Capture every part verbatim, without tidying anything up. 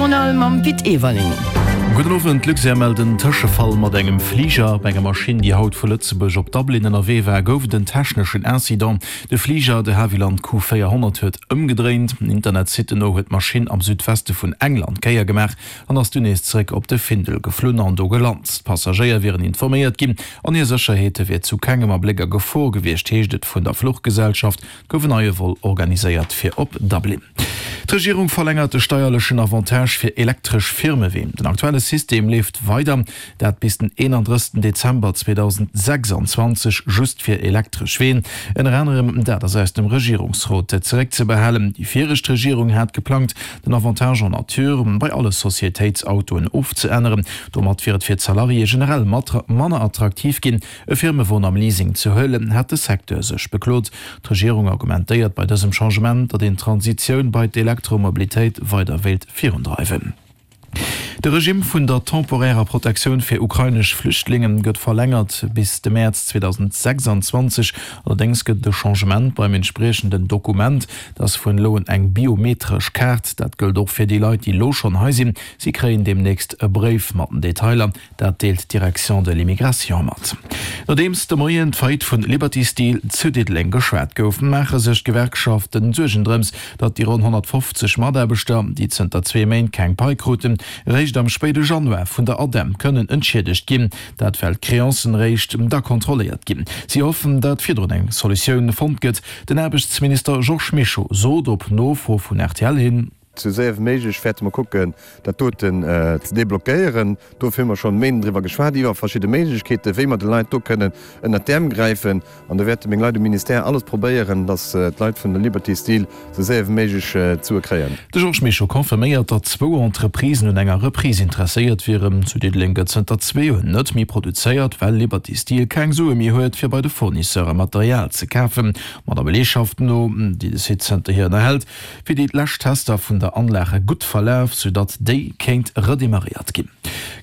Journal mam Pit Everling. Gudden Owend, D'Luxair mellt en Tëschefall mat engem Fliger. Op enger Maschinn, déi haut vu Lëtzebuerg op Dublin ënnerwee war, gouf et en techneschen Incident. De Fliger, de Havilland Q véierhonnert huet ëmgedréint. Internetsitten no huet d'Maschinn am Südweste vun England d'Kéier gemaach an ass dunn nees zeréck op de Findel geflunn an do gelant. D'Passagéier wieren informéiert ginn an hir Sécherheet wier zu kengem Abléck a Gefor gewiescht, heescht et vun der Fluchgesellschaft. Et gouf en neie Vol organiséiert fir op Dublin. D'Regierung verlängert de steierlechen Avantage fir elektresch Firmeween. Den aktuelle System leeft weider, dat bis den eenandrëssegsten Dezember zweedausendsechsanzwanzeg, just fir elektresch Ween. Ënner anerem dat ass aus dem Regierungsrot zeréckzebehalen. Déi viregt Regierung hat geplangt, den Avantage en nature bei alle Societéitsautoen ofzeänneren. Domat wier et fir d'Salariéë generell manner attraktiv ginn, e Firmewon am Leasing ze huelen, hat de Secteur sech beklot. D'Regierung argumentéiert bei dësem Changement, datt een d'Transitioun bei d'Elektromobilitéit weider wéilt virundreiwen. De Regimm vun der temporärer Protektioun fir ukrainesch Flüchtlinge gëtt verlängert bis de Mäerz zweedausendsechsanzwanzeg. Allerdéngs gëtt et e Changement beim entspriechenden Dokument. Dat ass vun elo un eng biometresch Kaart. Dat gëllt och fir déi Leit, déi elo schonn hei sinn. Si kréien deemnächst e Bréif mat den Detailer. Dat deelt d'Direction de l'immigration mat. Nodeems de Moien d'Faillite vun Liberty Steel zu Diddeleng geschwat gouf, maache sech d'Gewerkschaften Suergen drëms, datt déi ronn honnertfofzeg Mataarbechter, déi zënter zwee Méint keng Pai kruten, réischt am spéide Januar vun der ADEM kënnen entschiedegt ginn. Dat well d'Creancen réischt da kontrolléiert ginn. Si hoffen, datt virdrun eng Solutioun fonnt gëtt. Den Aarbechtsminister Georges Mischo sot op Nofro vun rtl hin. Sou séier wéi méiglech wäerte mer kucken, dat doten ze deblockéieren. Dofir hu mer schonn Méinden driwwer geschwat, iwwer verschidde Méiglechkeeten, wéi mer de Leit do kënnen ënnert d'Äerm gräifen. An do wäerte meng Leit um Ministère alles probéieren, dass d'Leit vun der Liberty Steel sou séier wéi méiglech d'Sue kréien. De Georges Mischo confirméiert, datt zwou Entreprisen un enger Reprise interesséiert wieren. Zu Diddeleng gëtt zënter zwee Joer net méi produzéiert, well Liberty Steel keng Sue méi huet, fir bei de Fournisseure Material ze kafen. Ma der Beleegschaft no, déi de Site zënterhier ënnerhält, wier déi lescht Tester vun der Anlage gutt verlaf, soudatt déi kéint redemarréiert ginn.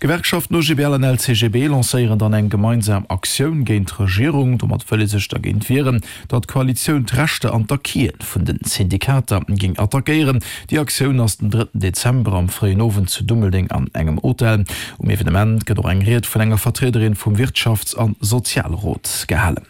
D'Gewerkschaften O G B L an L C G B lancéieren dann eng gemeinsam Aktioun géint d'Regierung. Domat wëll ee sech dergéint wieren, datt d'Koalitioun d'Rechter an d'Acquisen vun de Syndikater géing attackéieren. Déi Aktioun ass den drëtten Dezember am fréien Owend zu Dummeldeng an engem Hotel. Um Evenement gëtt och eng Ried vun enger Vertriederin vum Wirtschafts a Sozialrot gehalen.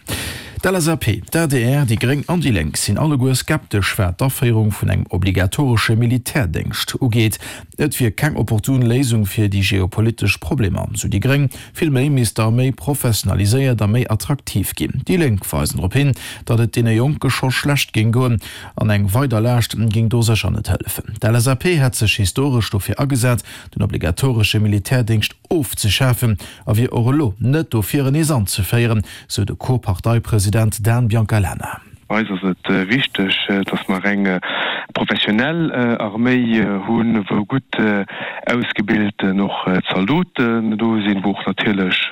D'L S A P, d'A D R, déi Gréng an déi Lénk sinn alleguer skeptesch wat d'Aféierung vun engem obligatoresche Militärdéngscht ugeet. Et wier keng opportun Léisung fir déi geopolitesch Problemer, sou déi Gréng. Vill méi misst d'Arméi professionaliséiert a méi attraktiv ginn. Déi Lénk weisen drop hin, datt et deene Jonke scho schlecht géing goen an eng weider Laascht géing do sécher net hëllefen. D'L S A P hätt sech historesch dofir agesat, den obligatoresche Militärdéngscht ofzeschafen a wier och elo net dofir en nees anzeféieren, sou de Co-Parteipresident Dan Biancalana. Eis ass et wichteg, datt mer eng professionell Arméi hunn, wou gutt ausgebilten och Zaldoten do sinn, wou och natierlech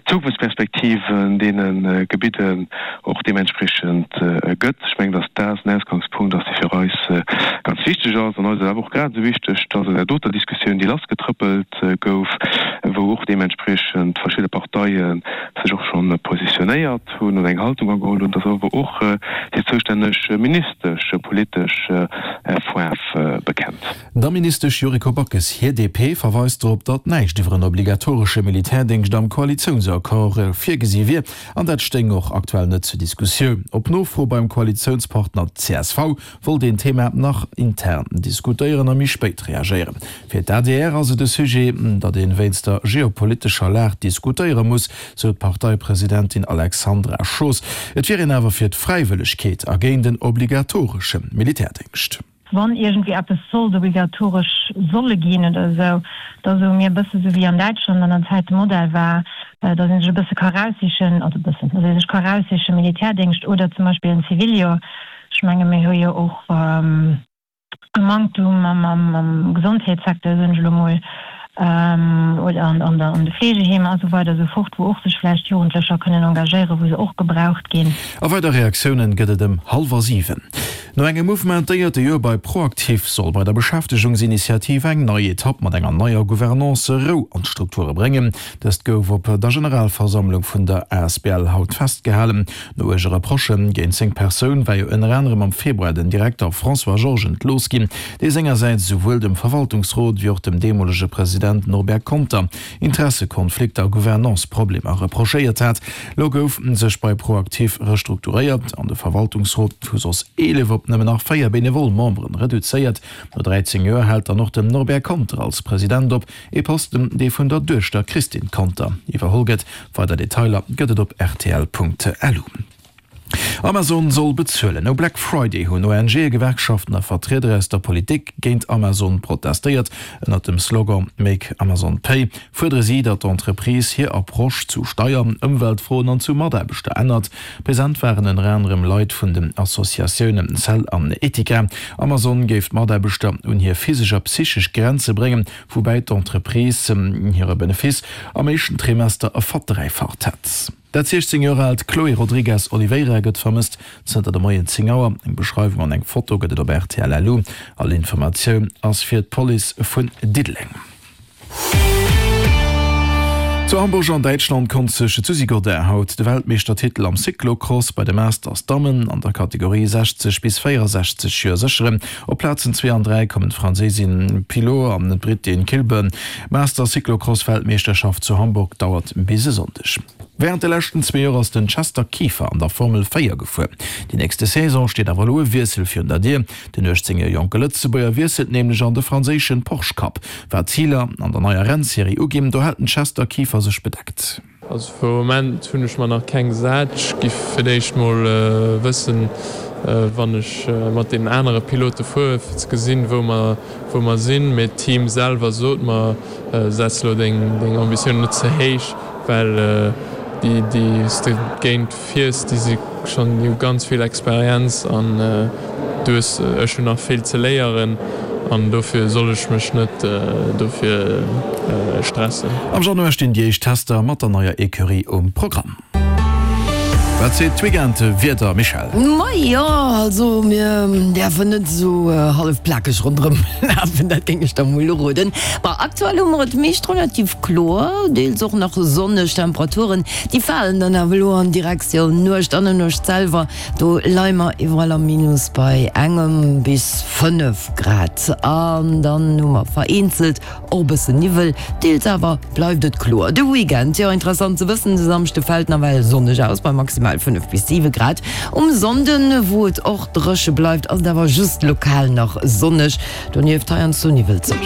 d'Zukunftsperspektiven deene Gebidden och deementspriechend gëtt. Ech mengen, datt dat en Ausgangspunkt ass, dee fir eis ganz wichteg ass. An eis ass awer och grad esou wichteg, datt an där doter Diskussioun, déi lassgetrëppelt gouf, wou och deementspriechend verschidde Parteie sech och scho positionéiert hunn oder eng Haltung ageholl hunn, datt awer och déi zoustänneg Ministesch politesch Faarf bekennt. Der Ministesch Yuriko Backes hir D P verweist drop, datt näischt iwwer en obligatoresche Militärdéngscht am Koalitiounsaccord virgesi wier an dat stéing och aktuell net zur Diskussioun. Op Nofro beim Koalitiounspartner C S V wollt een d'Thema nach intern diskutéieren a méi spéit reagéieren. Fir d'A D R ass et e Sujet, datt ee wéinst der geopolitescher Lag diskutéiere muss, sou d'Parteipresidentin Alexandra Schoos. Et wier een awer fir d'Fräiwëllegkeet a géint en obligatoresche Militärdéngscht. Wann iergendwéi eppes sollt obligatoresch solle ginn oder esou, da soe mir e bësse sou wéi an Däitschland an der Zäit de Modell war, datt ee sech e bësse ka eraussichen, also e bëssen, datt ee sech ka eraussichen, Militärdéngscht oder zum Beispill en Ziviljoer. Ech menge mir hu jo och e Manktum am Gesondheetssecteur, soen ech elo mol, oder an de Fleegeheemer a sou weider a sou fort, wou och sech vläicht Jugendlecher kënnen engagéieren, wou se och gebraucht ginn. A weider Reaktiounen gëtt et ëm hallwer siwen. No engem mouvementéierte Joer bei ProActif soll bei der Beschäftegungsinitiativ eng nei Etapp mat enger neier Gouvernance Rou an d'Strukture bréngen. Dëst gouf op der Generalversammlung vun der asbl haut festgehalen. No uerge Reprochë géint seng Persoun war jo ënner anerem am Februar den Direkter François Georges entlooss ginn, dee sengersäits esouwuel dem Verwaltungsrot wéi och dem deemolege President Norbert Conter Interessekonflikter a Gouvernance-Problemer reprochéiert hat. Lo gouf sech bei ProActif restrukturéiert an de Verwaltungsrot vu soss eelef op nëmmen nach véier benevol Memberen reduzéiert. No dräizéng Joer hält dann och den Norbert Conter als President op, ee Posten, dee vun der Duechter Christine Conter iwwerholl gëtt. Weider Detailer gëtt et op rtl.lu. Amazon soll bezuelen. No Black Friday hunn ONGe, Gewerkschaften a Vertrieder aus der Politik géint Amazon protestéiert. Ënnert dem Slogan Make Amazon Pay fuerdere si, datt d'Entreprise hir Approche zu Steier-, Ëmweltfroen an zu Mataarbechter ännert. Present waren ënner anerem Leit vun den Associatiounen Cell an Etika. Amazon géif d'Mataarbechter un hir physesch a psychesch Grenze bréngen, woubäi d'Entreprise hire Benefice am éischten Trimester verdräifacht hätt. Dat siechzéng Joer aalt Chloe Rodrigues Oliveira gëtt vermësst zënter de Moien zéng Auer. Eng Beschreiwung an eng Foto gëtt et op rtl. Lu. All Informatioun ass fir d'Police vun Diddeleng. Zu Hamburg an Däitschland konnt sech d'Suzie Godin haut de Weltmeeschtertitel am Cyclocross bei de Masters Dammen an der Kategorie sechzeg bis véierensechzeg Joer sécheren. Op Plazen zwee an dräi kommen d'Franséisin Pilot an d'Brittin Kilburn. D'Masters Cyclocross Weltmeeschterschaft zu Hamburg dauert bis e Sonndeg. Wärend de leschten zwee Joer ass den Chester Kieffer an der Formel véier gefuer. Déi nächste Saison steet awer elo e Wiessel virun der Dier. Den uechtzéng Joer jonke Lëtzebuerger wiesselt nämlech an de franséischen Porsche Cup. Wat d'Ziler an der neier Rennserie uginn, do hält den Chester Kieffer sech bedeckt. Also fir Moment hunn ech mer nach keng gesat. Ech giff fir d'éischt mol wëssen, wann ech mat deenen anere Pilote fuere fir ze gesinn, wou mer wou mer sinn. Mee d'Team selwer sot mer, setz elo deng deng Ambitiounen net ze héich, well déi déi s de géint fiers, déi si schonn, déi hu ganz vill Experienz an du hues, ech hunn nach vill ze léieren an dofir soll ech mech net dofir stressen. Am Januar stinn déi éischt Tester mat der neier Ecurie um Programm. Wat seet d'Weekend-Wieder, Michèle? Majo, also mir däerfen net esou hallef plakeg ronderëm lafen, dat géing ech der mol uroden. Bon, aktuell hu mer et meescht relativ kloer, deels och nach sonneg. Temperaturen, déi falen dann awer elo an Direktioun Nuecht an der Nuecht selwer, do leie mer iwwerall am Minus bei engem bis fënnef Grad. An dann hu mer vereenzelt och e bësse Niwwel, deels awer bleift et kloer. De Weekend, jo interessant ze wëssen, de Samschde fält nawell sonneg aus bei maximal fënnef bis siwe Grad. Um Sonnden, wou et och dréche bleift, ass et awer just lokal nach sonneg, donieft heiansdo niwwelzeg.